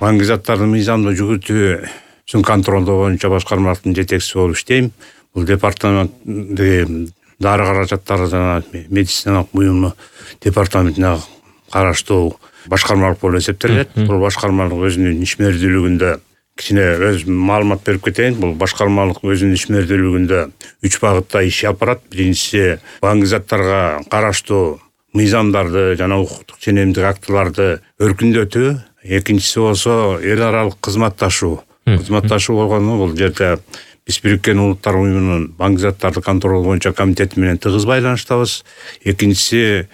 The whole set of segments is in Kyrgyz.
баңгизаттардын мыйзамдуу жүгүртүүсүн контролдоо боюнча башкармалыктын жетекчиси болуп иштейм. Бул департаменттеги дары каражаттары жана медициналык буюму департаментине караштуу башкармалык болуп эсептелет. Бул башкармалык өзүнүн ишмердүүлүгүндө кичине өз маалымат берип кетейин. Бул башкармалык өзүнүн ишмердүүлүгүндө 3 багытта иш алып барат. Биринчиси баңгизаттарга караштуу мыйзамдарды жана укуктук ченемдик актыларды өркүндөтүү. Экинчиси болсо эл аралык кызматташуу. Кызматташуу болгону бул жерде биз Бириккен Улуттар уюмунун баңгизаттарды контрол боюнча комитети менен тыгыз байланыштабыз. Экинчиси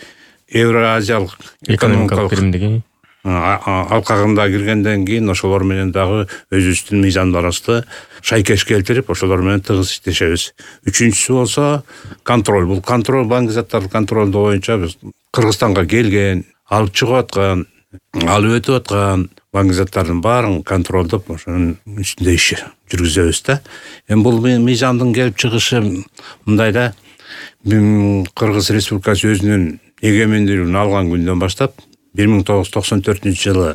Евразиялык экономикалык биримдиги алкагында киргенден кийин ошолор менен дагы өзүбүздүн мыйзамдарыбызды шайкеш келтирип, ошолор менен тыгыз иштешебиз. Үчүнчүсү болсо контроль. Бул контроль баңгизаттарды контролдоо боюнча биз Кыргызстанга келген, алып чыгып аткан, алып өтүп аткан баңгизаттардын баарын контролдоп, ошонун үстүндө иш жүргүзөбүз да. Эми бул мыйзамдын келип чыгышы мындай да. Кыргыз Республикасы өзүнүн эгемендүүлүгүн алган күндөн баштап 1994-жылы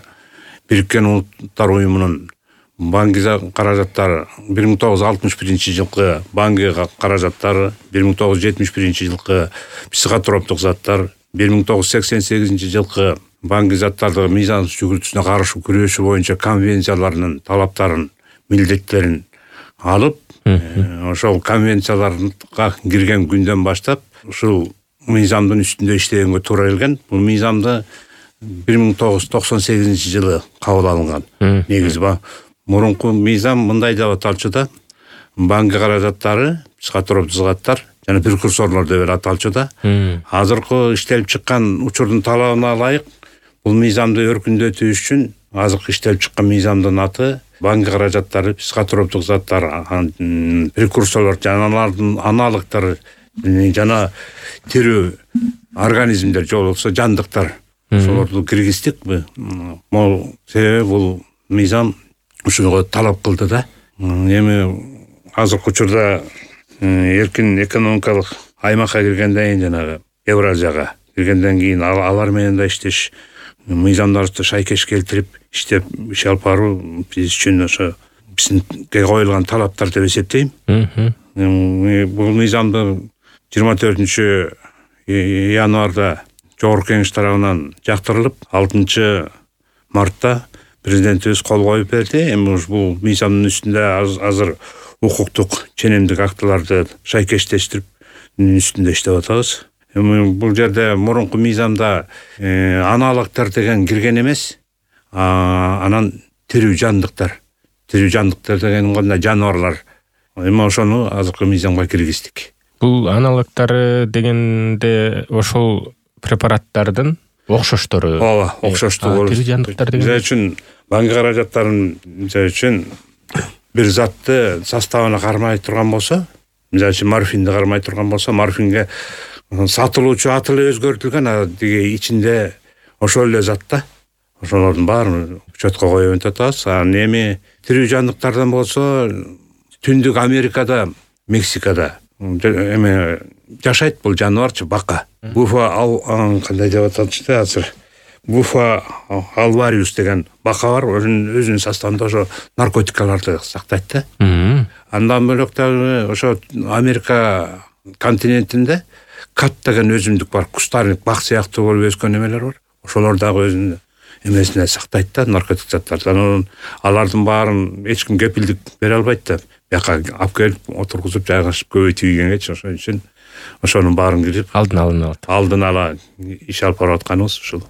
Бириккен Улуттар уюмунун банкы каражаттары, 1961-жылкы банкы каражаттары, 1971-жылкы психотроптук заттар, 1988-жылкы банкы заттарды мыйзамсыз жүгүртүүсүнө каршы күрөшүү боюнча конвенцияларынын талаптарын, милдеттерин алып, ошол конвенцияларга кирген күндөн баштап ушул мыйзамдын үстүндө иштегенге туура келген. Бул мыйзамды 1998-жылы кабыл алынган. Негизи мурунку мыйзам мындай деп аталчу да. Банкы каражаттары, психотроптук заттар жана прекурсорлор деп аталчу да. Азыркы иштелип чыккан учурдун талабына ылайык бул мыйзамды өркүндөтүү үчүн азыркы иштелип чыккан мыйзамдын аты банкы каражаттары, психотроптук заттар, прекурсорлор жана алардын аналогдору жана тирүү организмдер же болбосо жандыктар. Ошолорду киргиздик. Себеби бул мыйзам ушуга талап кылды да. Эми азыркы учурда эркин экономикалык аймакка киргенден кийин жанагы Евразияга киргенден кийин алар менен да иштеш, мыйзамдарды шайкеш келтирип иштеп иш алып баруу биз үчүн ошо бизге коюлган талаптар деп эсептейм. Бул мыйзамды 24-январда Жогорку Кеңеш тарабынан жактырылып, 6-мартта президентибиз кол коюп берди. Эми бул мыйзамдын үстүндө азыр укуктук ченемдик актыларды шайкештештирип үстүндө иштеп атабыз. Эми бул жерде мурунку мыйзамда аналогдор деген кирген эмес. Анан тирүү жандыктар деген кандай жаныбарлар. Эми ошону азыркы мыйзамга киргиздик. Бул аналогдору дегенде ошол препараттардын окшоштору. Ооба, окшоштуу болот. Тирүү жандыктар деген. Мисалы үчүн банкы каражаттарын бир затты составына кармай турган болсо, мисалы үчүн морфинди кармай турган болсо, морфинге сатылуучу аты эле өзгөртүлгөн, деги ичинде ошол эле зат да. Ошолордун баарын учетко коюп атабыз. Эми тирүү жандыктардан болсо, Түндүк Америкада, Мексикада эми жашайт бул жаныбарчы, бака. Буфа кандай деп аталчу да азыр. Буфа алвариус деген бака бар, өзүнүн составында ошо наркотикаларды сактайт да. Андан бөлөк дагы ошо Америка континентинде кат деген өсүмдүк бар, кустарник, бак сыяктуу болуп өскөн эмелер бар. Ошолор дагы өзүнүн эмесине сактайт да, наркотик заттардан. Алардын баарын эч ким кепилдик бере албайт да. Бияка алып келип отургузуп жайгашып көбөйтүү ийгенге ошон үчүн ошонун баарын кирип алдын ала иш алып барып атканыбыз ушул.